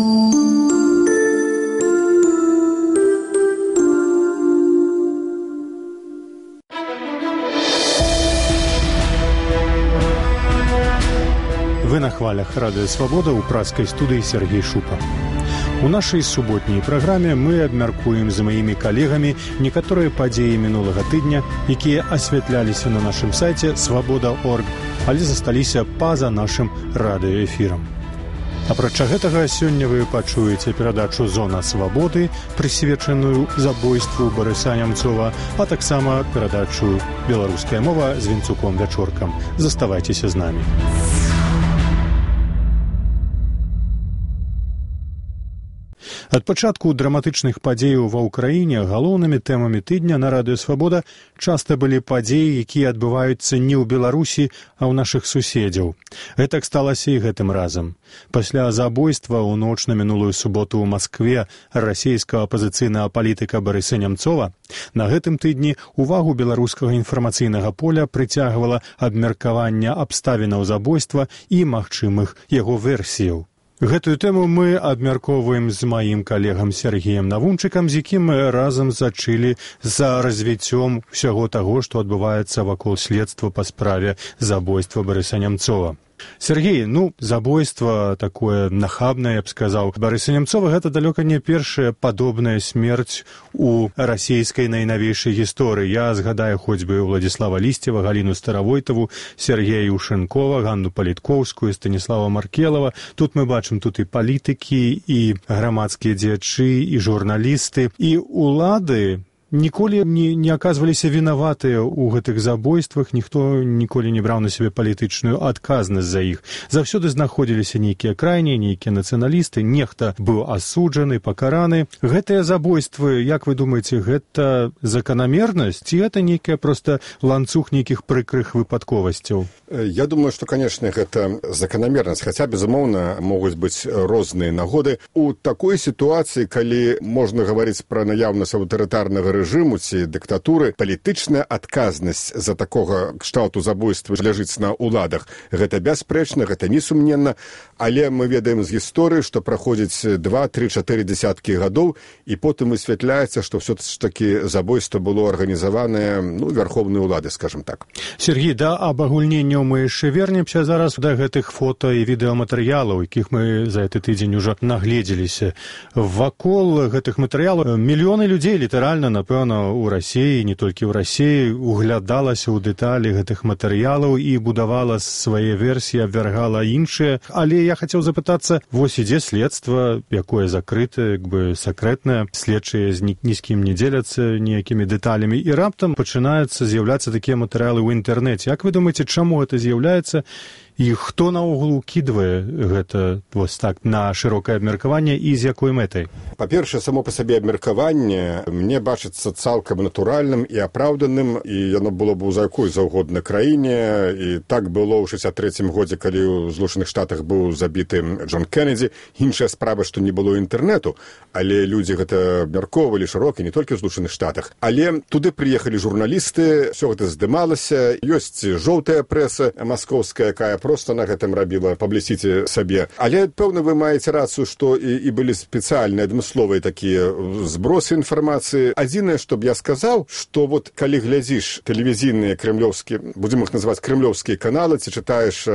Вы на хвалях Радыё Свабода ў пражскай студыі Сергей Шупа. У нашай суботняй праграме мы абмяркуем з маімі калегамі некаторыя падзеі мінулага тыдня, якія асвятляліся на нашым сайце свабода.орг, але засталіся па-за нашым радыёэфірам. Апрача гэтага, сёння вы пачуеце перадачу «Зона свабоды», прысвечаную забойству Барыса Нямцова, а таксама перадачу «Беларуская мова» з Вінцуком Вячоркам. Заставайцеся з намі. Ад пачатку драматычных падзеяў ва ўкраіне галоўнымі тэмамі тыдня на Радыё Свабода часта былі падзеі, якія адбываюцца не ў Беларусі, а ў нашых суседзяў. Гэтак сталася і гэтым разам. Пасля забойства ў ноч на мінулую суботу ў Маскве расійскага апазіцыйнага палітыка Барыса Нямцова на гэтым тыдні увагу беларускага інфармацыйнага поля прыцягвала абмеркаванне абставінаў забойства і магчымых яго версіяў. Гэтую тэму мы абмяркоўваем з маім калегам Сергеем Навунчыкам, з якім мы разам зачылі за развіццём усяго таго, што адбываецца вакол следства па справе забойства Барыса Нямцова. Сергей, забойство такое нахабнае, я б сказаў. Барыса Нямцова гэта далёка не першая падобная смерць у расійскай найнавейшай гісторыі. Я згадаю хоць бы Владзіслава Лісцева, Галіну Старавойтаву, Сергея Юшэнкова, Ганну Палітковскую, Станіслава Маркелава. Тут мы бачым тут і палітыкі, і грамадскія дзеячы, і журналісты, і улады ніколі не аказваліся вінаватыя ў гэтых забойствах, ніхто ніколі не браў на сябе палітычную адказнасць за іх. Заўсёды знаходзіліся нейкія крайнія, нейкія нацыяналісты, нехта быў асуджаны, пакараны. Гэтыя забойствы, як вы думаеце, гэта заканамернасць, ці гэта нейкая проста ланцуг нейкіх прыкрых выпадковасцяў? Я думаю, што, канешне, гэта заканамернасць, хаця, безумоўна, могуць быць розныя нагоды. У такой сітуацыі, калі можна гаварыць пра наяўнасць аўтарытарнага рэжыму ці дыктатуры, палітычная адказнасць за такога кшталту забойства ляжыць на ўладах. Гэта бясспрэчна, гэта несумненна, але мы ведаем з гісторыі, што праходзіць 2, 3, 4 дзесяткі гадоў, і потым высвятляецца, што ўсё ж такі забойства было арганізаванае вярхоўнай улады, скажам так. Сергей, да абагульненняў мы яшчэ вернемся зараз да гэтых фота і відэаматэрыялаў, якіх мы за гэты тыдзень ужо нагледзеліся. Вакол гэтых матэрыялаў мільёны людзей літаральна, напэўна, у Расіі, не толькі ў Расіі, углядалася ў дэталі гэтых матэрыялаў і будавала свае версіі, абвяргала іншыя. Але я хацеў запытацца, вось ідзе следства, якое закрытае, сакрэтнае, следчыя ні з кім не дзеляцца ніякімі дэталямі, і раптам пачынаюцца з'яўляцца такія матэрыялы ў інтэрнэце. Як вы думаеце, чаму гэта з'яўляецца? І хто наогул укідвае гэта вось так на шырокае абмеркаванне і з якой мэтай? Па-першае, само па сабе абмеркаванне мне бачыцца цалкам натуральным і апраўданым, і яно было б у якой заўгодна краіне, і так было ў 63-м годзе, калі ў Злучаных Штатах быў забіты Джон Кеннеді. Іншая справа, што не было інтэрнэту, але людзі гэта абмяркоўвалі шырока, не толькі ў Злучаных Штатах. Але туды прыехалі журналісты, ўсё гэта здымалася, ёсць жоўтая прэса маскоўская, якая проста на гэтым рабіла паблісіці сабе. Але, пэўна, вы маеце рацыю, што і былі спецыяльныя адмысловыя такія збросы інфармацыі. Адзінае, што б я сказаў, што вот калі глядзіш тэлевізійныя крэмлёўскія, будзем іх называць крэмлёўскія каналы, ці чытаеш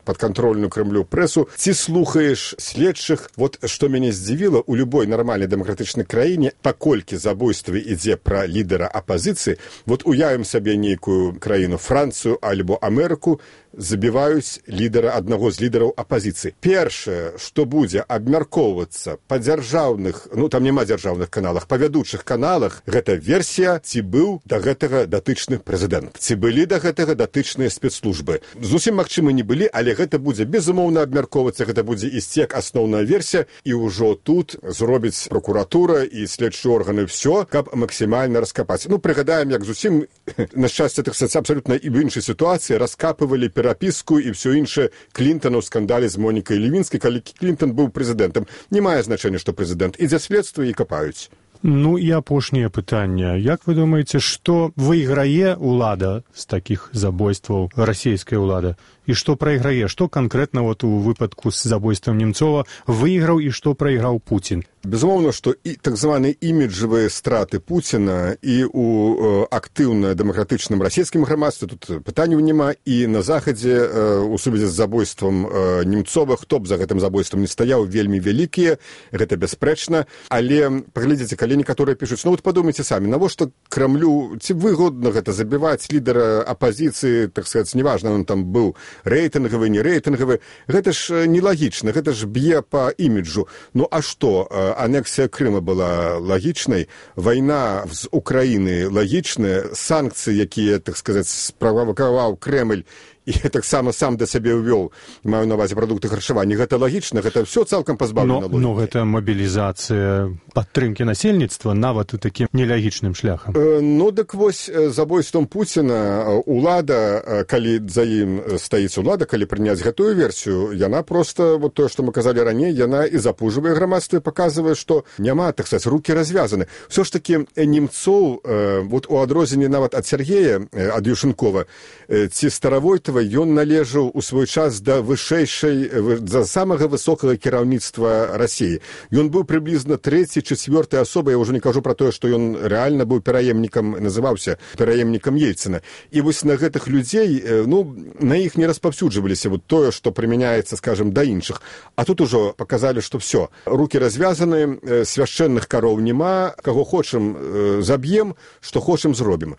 падкантрольную Крэмлю прэсу, ці слухаеш следчых, вот што мяне здзівіла, у любой нармальнай дэмакратычнай краіне, паколькі забойства ідзе пра лідара апазіцыі, вот уявім сабе нейкую краіну, Францыю альбо Амерыку, забіваюць лідара аднаго з лідараў апазіцыі. Першае, што будзе абмяркоўвацца па дзяржаўных, там няма дзяржаўных каналах, па вядучых каналах, гэта версія, ці быў да гэтага датычны прэзідэнт, ці былі да гэтага датычныя спецслужбы. Зусім магчыма не былі, але гэта будзе безумоўна абмяркоўвацца, гэта будзе ісці як асноўная версія, і ўжо тут зробіць прокуратура і следчыя органы ўсё, каб максімальна раскапаць. Прыгадаем, як зусім, на шчасце, так сказаць, абсалютна і ў іншай сітуацыі раскапывалі перапіску і ўсё іншае Клінтана ў скандале з Монікай Левінскай, калі Клінтан быў прэзідэнтам. Не мае значэння, што прэзідэнт. Ідзе следства і капаюць. І апошняе пытанне. Як вы думаеце, што выйграе ўлада з такіх забойстваў, расійская ўлада? і што прайграе, што канкрэтна вот у выпадку з забойствам Немцова выйграў і што прайграў Пуцін? Безумоўна, што і так званыя іміджавыя страты Пуціна і ў актыўна дэмакратычным расійскім грамадстве, тут пытанняў няма, і на захадзе у сувязі з забойствам Немцова, хто б за гэтым забойствам не стаяў, вельмі вялікія, гэта бясспрэчна, але паглядзіце, калі некаторыя пішуць, ну вот падумайце самі, навошта Крамлю, ці выгодна гэта забіваць лідара апазіцыі, так сказаць, неважна, он там быў рэйтынгавы, не рэйтынгавы, гэта ж нелагічна, гэта ж б'е па іміджу. Ну а што? Анексія Крыма была лагічнай, вайна з Украіны лагічная, санкцыі, якія, так сказаць, справакаваў Крэмль, і таксама сам да сябе ўвёў, маю на ўвазе прадукты харчавання. Гэта лагічна, гэта ўсё цалкам пазбаўлена логікі. Но гэта мабілізацыя падтрымкі насельніцтва нават і такім нелагічным шляхам. Ну, дык вось забойствам Пуціна улада, калі за ім стаіць улада, калі прыняць гэтую версію, яна проста, вот тое, што мы казалі раней, яна і запужвае грамадства, і паказвае, што няма, так сказаць, рукі развязаны. Всё ж такі Немцоў, вот у адрозненні нават ад Сергея, ад Юшынкова, ці Старавойтава, ён належаў у свой час да вышэйшай, да самага высокага кіраўніцтва Расіі. Ён быў прыблізна 3-4 асобай, я ўжо не кажу пра тое, што ён рэальна быў пераемнікам, называўся пераемнікам Ельцына. І вось на гэтых людзей, ну, на іх не распаўсюджваліся вот тое, што прымяняецца, скажем, да іншых. А тут ужо паказалі, што ўсё. Рукі развязаны, свяшчэнных кароў няма, каго хочам заб'ем, што хочам зробім.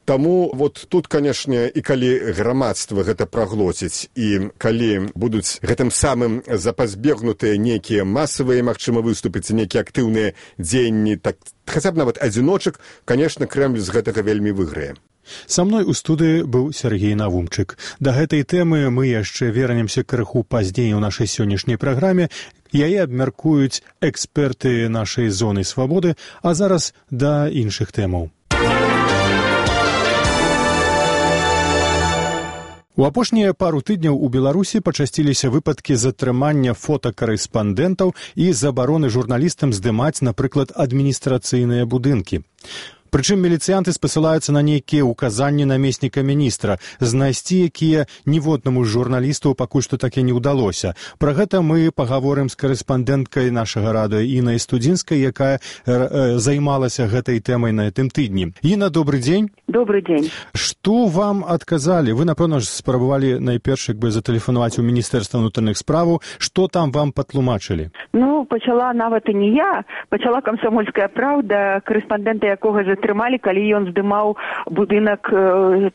Таму вот тут, канешне, і калі грамадства гэта праглоціць, і калі будуць гэтым самым запазбегнутыя нейкія масавыя, магчыма, выступіць, нейкія актыўныя дзеянні, так, хаця б нават адзіночак, канешне, Крэмль з гэтага вельмі выйграе. Са мной у студыі быў Сергей Навумчык. Да гэтай тэмы мы яшчэ вернемся крыху пазней у нашай сённяшняй праграме. Яе абмяркуюць эксперты нашай зоны свабоды, а зараз да іншых тэмаў. У апошнія пару тыдняў у Беларусі пачасціліся выпадкі затрымання фотакарэспандэнтаў і забароны журналістам здымаць, напрыклад, адміністрацыйныя будынкі. Прычым міліцыянты спасылаюцца на нейкія ўказанні намесніка міністра, знайсці якія ніводнаму з журналістаў пакуль што так і не ўдалося. Пра гэта мы пагаворым з карэспандэнткай нашага радыё Інай Студзінскай, якая займалася гэтай тэмай на гэтым тыдні. Іна, добры дзень. Добры дзень. Што вам адказалі? Вы, напэўна ж, спрабавалі найперш затэлефанаваць у Міністэрства ўнутраных справаў. Што там вам патлумачылі? Ну, пачала нават і не я, пачала «Камсомольская праўда», карэспандэнта якога затрымалі, калі ён здымаў будынак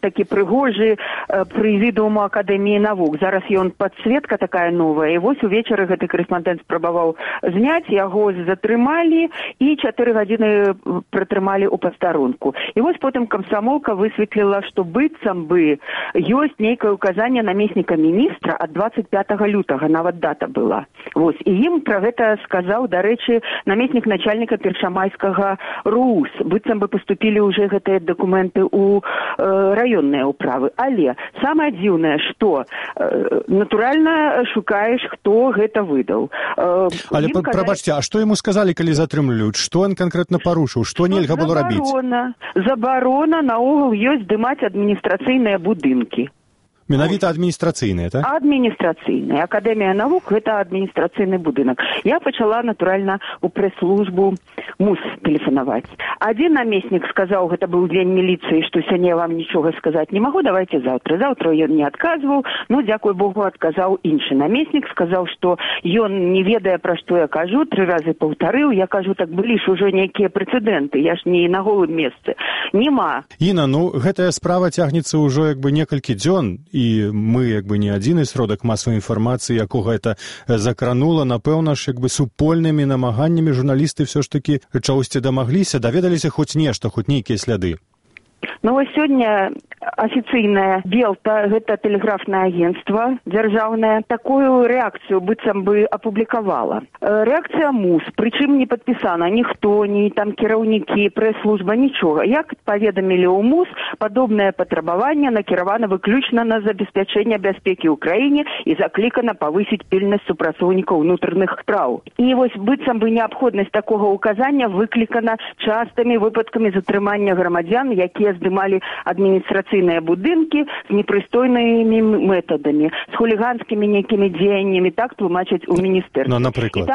такі прыгожы прэзідыуму Акадэміі навук. Зараз ён падсветка такая новая, і вось увечары гэты карэспандэнт спрабаваў зняць, яго затрымалі і 4 гадзіны пратрымалі ў пастарунку. І вось потым камсамолка высветліла, што быццам бы ёсць нейкае ўказанне намесніка міністра ад 25 лютага, нават дата была. Вось, і ім пра гэта сказаў, дарэчы, намеснік начальніка першамайскага РУС. Быццам бы паступілі ўжо гэтыя дакументы ў раённыя ўправы. Але самае дзіўнае, што натуральна шукаеш, хто гэта выдаў. Але прабачце, а што яму сказалі, калі затрымліваюць? Што ён канкрэтна парушыў? Што нельга было рабіць? Забарона наогул ёсць здымаць адміністрацыйныя будынкі. Менавіта адміністрацыйныя, так? Адміністрацыйныя. Акадэмія навук – гэта адміністрацыйны будынак. Я пачала, натуральна, у прэс-службу МУС тэлефанаваць. Адзін намеснік сказаў, гэта быў дзень міліцыі, што сёння я вам нічога сказаць не магу, давайте заўтра. Заўтра ён не адказваў, ну, дзякуй Богу, адказаў іншы намеснік, сказаў, што ён не ведае, пра што я кажу, 3 разы паўтарыў, я кажу, так былі ж ужо нейкія прэцэдэнты, я ж не на голым месцы. Нема. Іна, ну, гэтая справа цягнецца ўжо некалькі дзён, і мы не адзіны сродак масавай інфармацыі, якога это закранула, напэўна ж супольнымі намаганнямі журналісты ўсё ж такі чагосьці дамагліся, даведаліся хоць нешта, хоць нейкія сляды. Ну, вось сёння афіцыйная Белта, гэта тэлеграфнае агенцтва дзяржаўнае, такую рэакцыю быццам бы апублікавала. Рэакцыя МУС, прычым не падпісана ніхто, ні там кіраўнікі, прэс-служба, нічога. Як паведамілі ў МУС, падобнае патрабаванне накіравана выключна на забеспячэнне бяспекі ў краіне і заклікана павысіць пільнасць супрацоўнікаў унутраных спраў. І вось быццам бы неабходнасць такога ўказання выклікана частымі выпадкамі затрымання грамадзян, якія здымалі адміністрацыйныя будынкі з непрыстойнымі метадамі, з хуліганскімі нейкімі дзеяннямі, так тлумачаць у міністэрстве. Ну, напрыклад.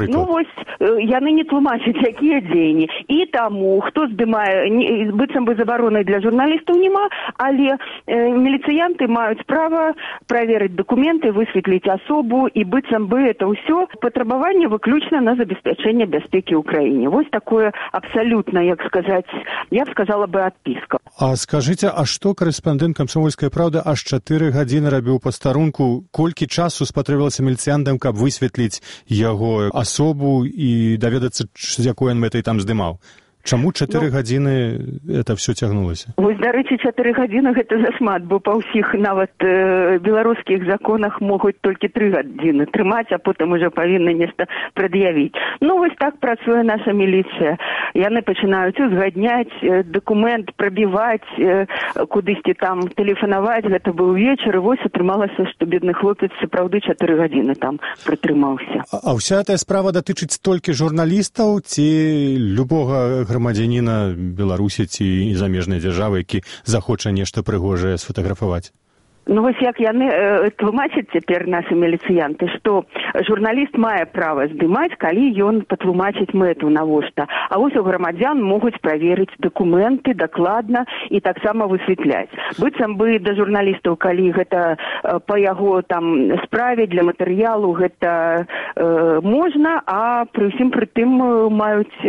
Ну, вось, яны не тлумачаць, якія дзеянні. І таму, хто здымае, быццам бы забаронай для журналістаў няма, але міліцыянты маюць права праверыць дакументы, высветліць асобу, і быццам бы это ўсё патрабаванне выключна на забеспячэнне бяспекі ў краіне. Вось такое абсалютна, як сказаць, я б сказала бы, адпіска. А скажыце, а што корэспандэнт «Камсомольскай правды» аж 4 гадзіны рабіў пастарунку? Колькі часу спатрэбілася міліцыянтам, каб высветліць яго асобу і даведацца, з якой ён мэтай там здымаў? Чаму 4 гадзіны это все цягнулася? Вось, дарэчы, 4 гадзіны гэта зашмат, бо па ўсіх нават беларускіх законах могуць толькі 3 гадзіны трымаць, а потым уже павінны нешта прад'явіць. Ну, вось так працуе наша міліцыя. Яны пачынаюць узгадняць дакумент, прабіваць, кудысьці там тэлефанаваць. Гэта быў вечар, і вось атрымалася, што бедны хлопец сапраўды 4 гадзіны там прытрымаўся. А ўся эта справа датычыць толькі журналістаў ці любога грамадзяніна Беларусі ці замежнай дзяржавы, які захоча нешта прыгожае сфотаграфаваць? Ну, вось як яны тлумачаць цяпер нашы міліцыянты, што журналіст мае права здымаць, калі ён патлумачыць мэту навошта. А вось у грамадзян могуць праверыць дакументы дакладна і таксама высветляць. Быццам бы да журналістаў, калі гэта па яго там справе для матэрыялу, гэта можна, а пры ўсім пры тым маюць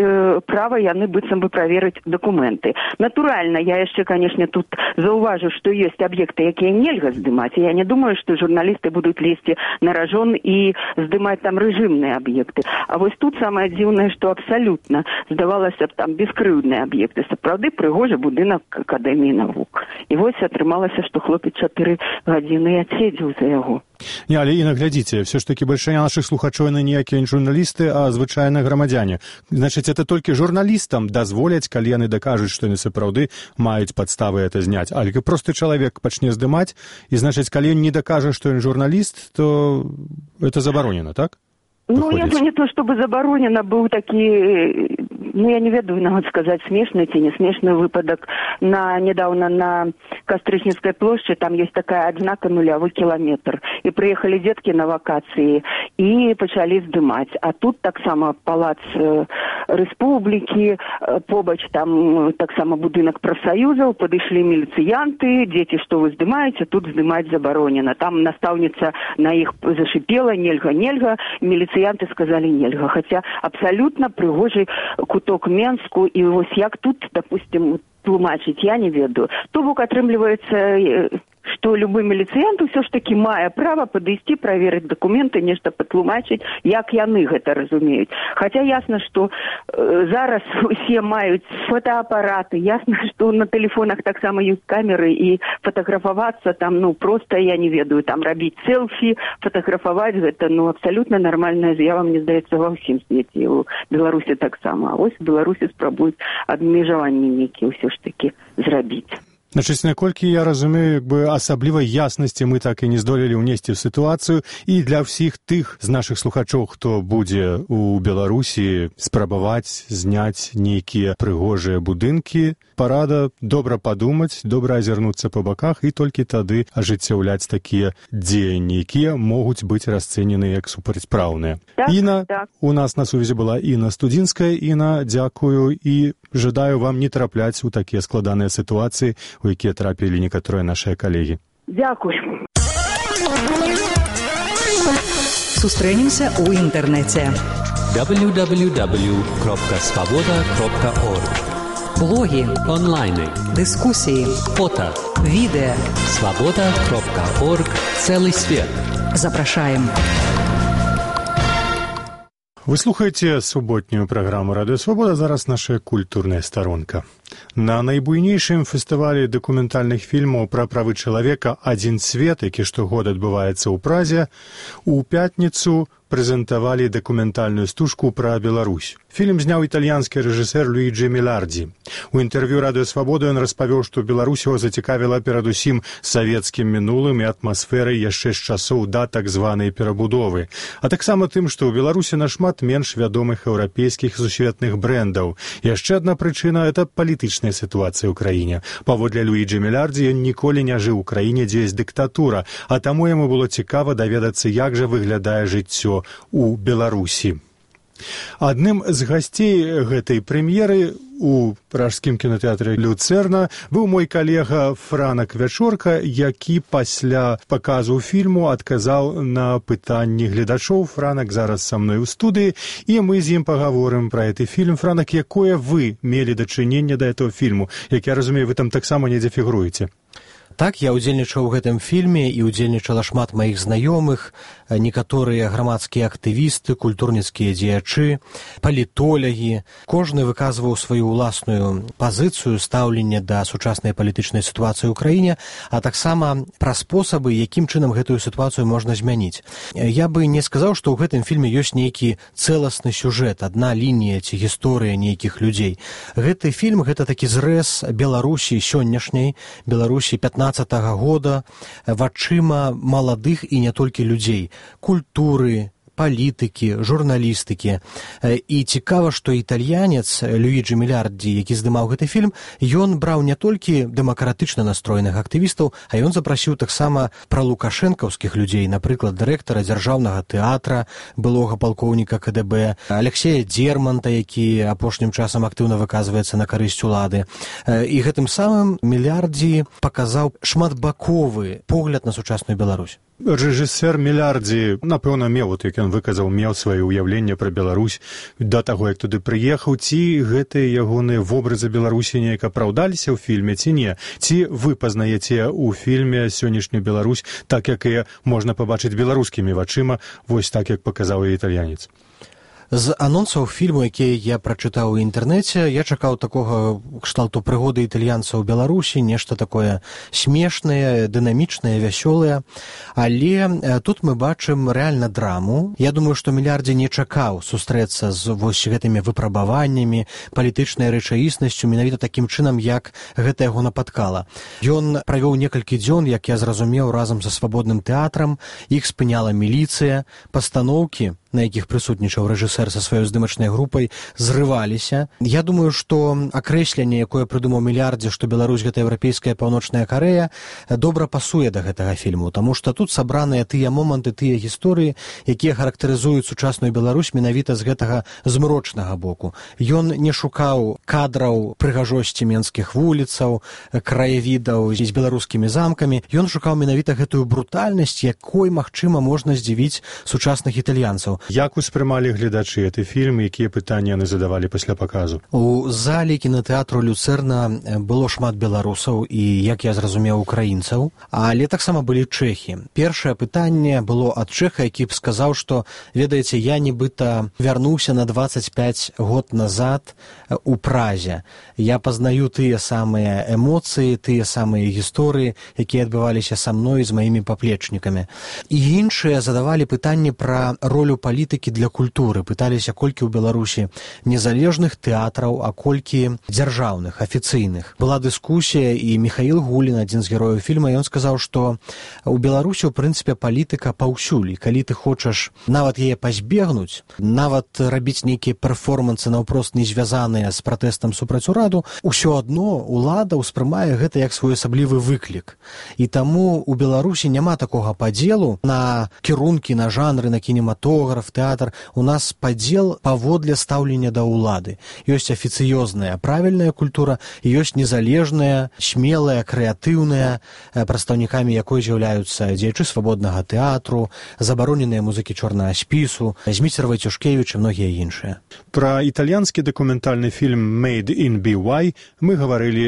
права яны быццам бы праверыць дакументы. Натуральна, я яшчэ, канешне, тут заўважу, што ёсць аб'екты, якія нельга здымаць. Я не думаю, што журналісты будуць лезці на ражон і здымаць там рэжымныя аб'екты. А вось тут самае дзіўнае, што абсалютна здавалася б там бескрыўдныя аб'екты. Сапраўды прыгожы будынак Акадэміі навук. І вось атрымалася, што хлопец 4 гадзіны адседзеў за яго. Не, але і наглядзіце, все ж таки большая наших слухачоў на ніякія журналісты, а звычайныя грамадзяне. Значыць, это толькі журналістам дазволяць, калі яны дакажуць, што яны сапраўды маюць падставы это зняць. Але просты чалавек пачне здымаць, і значыць, калі ён не дакажа, што ён журналіст, то это забаронена, так? Ну, я не то, чтобы забаронена, быў такі, ну, я не ведаю, нават сказаць, смешны ці не смешны выпадак. Недавно на Кастрычніцкай плошчы, там есть такая адзнака 0 кіламетр. І прыехалі дзеткі на вакацыі і пачалі здымаць. А тут таксама палац Рэспублікі, побач там таксама будынак прафсаюзаў, падышлі міліцыянты, дзеці, што вы здымаеце, тут здымаць забаронена. Там настаўніца на іх зашипела, нельга, міліцыянты сказалі нельга. Хаця абсалютна прыгожы куток Менску, і вось як тут, допустим, тлумачыць, я не ведаю. То бок атрымліваецца, што любы міліцыянт усё ж такі мае права падысці, праверыць дакументы, нешта патлумачыць, як яны гэта разумеюць. Хаця ясна, што зараз усе маюць фотоапараты, ясна, што на тэлефонах таксама ёсць камеры, і фотаграфавацца там, ну, проста, я не ведаю, там рабіць селфі, фотаграфаваць, гэта, ну, абсалютна нармальная з'ява, мне здаецца, ва ўсім свеце, у Беларусі таксама. А вось у Беларусі спрабуюць абмежаванні нейкія ўсё ж такі зрабіць. Значыць, наколькі я разумею, асаблівай яснасці мы так і не здолелі ўнесці ў сітуацыю, і для ўсіх тых з нашых слухачоў, хто будзе у Беларусі спрабаваць зняць нейкія прыгожыя будынкі, парада добра падумаць, добра азірнуцца па баках і толькі тады ажыццяўляць такія дзеянні, якія могуць быць расцэнены як супрацьпраўныя. Так, Інна, так. У нас на сувязі была Інна Студзінская. Інна, дзякую і жадаю вам не трапляць у такія складаныя сітуацыі, у якія трапілі некаторыя нашыя калегі. Дзякуй. Сустрэнемся ў інтэрнэце. www.svoboda.org. Блогі, онлайны, дыскусіі, фото, відэа. svoboda.org. Цэлы свет. Запрашаем. Вы слухаеце суботнюю праграму «Радыё Свабода», зараз наша культурная старонка. На найбуйнейшым фестывалі дакументальных фільмаў пра правы чалавека «Адзін свет», які штогод адбываецца ў Празе, у пятніцу прэзентавалі дакументальную стужку пра Беларусь. Фільм зняў італьянскі рэжысэр Луіджі Мелардзі. У інтэрв'ю «Радыё Свабода» ён распавёў, што Беларусь яго зацікавіла перадусім савецкім мінулым і атмасферай яшчэ з часоў да так званай перабудовы, а таксама тым, што ў Беларусі нашмат менш вядомых еўрапейскіх сусветных брэндаў. Яшчэ адна прычына – это палітычная крытычная сітуацыя ў краіне. Паводле Луіджі Мелярдзі, ён ніколі не жыў у краіне, дзе ёсць дыктатура, а таму яму было цікава даведацца, як жа выглядае жыццё ў Беларусі. Адным з гасцей гэтай прэм'еры у пражскім кінотэатры «Люцэрна» быў мой калега Франак Вячорка, які пасля паказу фільму адказаў на пытанні гледачоў. Франак зараз са мной у студыі, і мы з ім пагаворым пра гэты фільм. Франак, якое вы мелі дачыненне да этого фільму? Як я разумею, вы там таксама недзе фігуруеце. Так, я ўдзельнічаў у гэтым фільме і ўдзельнічала шмат маіх знаёмых, некаторыя грамадскія актывісты, культурніцкія дзеячы, палітолягі. Кожны выказваў сваю ўласную пазіцыю, стаўленне да сучаснай палітычнай сітуацыі ў краіне, а таксама пра спосабы, якім чынам гэтую сітуацыю можна змяніць. Я бы не сказаў, што ў гэтым фільме ёсць нейкі цэласны сюжэт, адна лінія ці гісторыя нейкіх людзей. Гэты фільм — гэта такі зрэз Беларусі сённяшняй, Беларусі 15-го года, вачыма маладых і не толькі людзей, культуры, палітыкі, журналістыкі. І цікава, што італьянец Луіджі Мелярдзі, які здымаў гэты фільм, ён браў не толькі дэмакратычна настроеных актывістаў, а ён запрасіў таксама пралукашэнкаўскіх людзей, напрыклад, дырэктара дзяржаўнага тэатра, былога палкоўніка КДБ, Алексея Дзерманта, які апошнім часам актыўна выказваецца на карысць улады. І гэтым самым Мелярдзі паказаў шматбаковы погляд на сучасную Беларусь. Рэжысэр Мелярдзі, напэўна, меў, як ён выказаў, меў сваё ўяўленне пра Беларусь да таго, як туды прыехаў. Ці гэтыя ягоныя вобразы Беларусі неяк апраўдаліся ў фільме, ці не? Ці вы пазнаеце ў фільме сённяшнюю Беларусь так, як і можна пабачыць беларускімі вачыма, вось так, як паказаў і італьянец? З анонсаў фільму, якія я прачытаў у інтэрнэце, я чакаў такога кшталту прыгоды італьянца ў Беларусі, нешта такое смешнае, дынамічнае, вясёлае. Але тут мы бачым рэальна драму. Я думаю, што Мелярдзі не чакаў сустрэцца з вось гэтымі выпрабаваннямі, палітычнай рэчаіснасцю, менавіта такім чынам, як гэта яго напаткала. Ён правёў некалькі дзён, як я зразумеў, разам са свабодным тэатрам, іх спыняла міліцыя, пастаноўкі, на якіх прысутнічаў рэжысэр са сваёй здымачнай групай, зрываліся. Я думаю, што акрэсленне, якое прыдумаў Мелярдзі, што Беларусь — гэта еўрапейская паўночная Карэя, добра пасуе да гэтага фільму, таму што тут сабраныя тыя моманты, тыя гісторыі, якія характарызуюць сучасную Беларусь менавіта з гэтага змрочнага боку. Ён не шукаў кадраў прыгажосці менскіх вуліцаў, краявідаў з беларускімі замкамі. Ён шукаў менавіта гэтую брутальнасць, якой, магчыма, можна здзівіць сучасных італьянцаў. Як успрымалі гледачы гэты фільм, якія пытанні яны задавалі пасля паказу? У зале кінотэатру «Люцэрна» было шмат беларусаў і, як я зразумеў, украінцаў, але таксама былі чэхі. Першае пытанне было ад чэха, які б сказаў, што, ведаеце, я нібыта вярнуўся на 25 год назад у Празе. Я пазнаю тыя самыя эмоцыі, тыя самыя гісторыі, якія адбываліся са мной з маімі паплечнікамі. І іншыя задавалі пытанні пра ролю палітыкі для культуры. Пыталіся, колькі ў Беларусі незалежных тэатраў, а колькі дзяржаўных, афіцыйных. Была дыскусія, і Михаил Гулін, адзін з герояў фільма, ён сказаў, што ў Беларусі, ў прынцыпе, палітыка паўсюль. Калі ты хочаш нават яе пазбегнуць, нават рабіць нейкія перформансы наўпрост не звязаныя з пратэстам супраць ураду, усё адно улада ўспрымае гэта як своеасаблівы выклік. І таму ў Беларусі няма такога падзелу на кірункі, на жанры, на кінематограф, тэатр. У нас падзел паводле стаўлення да ўлады. Ёсць афіцыёзная, правільная культура, і ёсць незалежная, смелая, крэатыўная, прадстаўнікамі якой з'яўляюцца дзеячы свабоднага тэатру, забароненыя музыкі чорнага спісу, Зміцер Вайцюшкевіч і многія іншыя. Пра італьянскі дакументальны фільм «Made in BY» мы гаварылі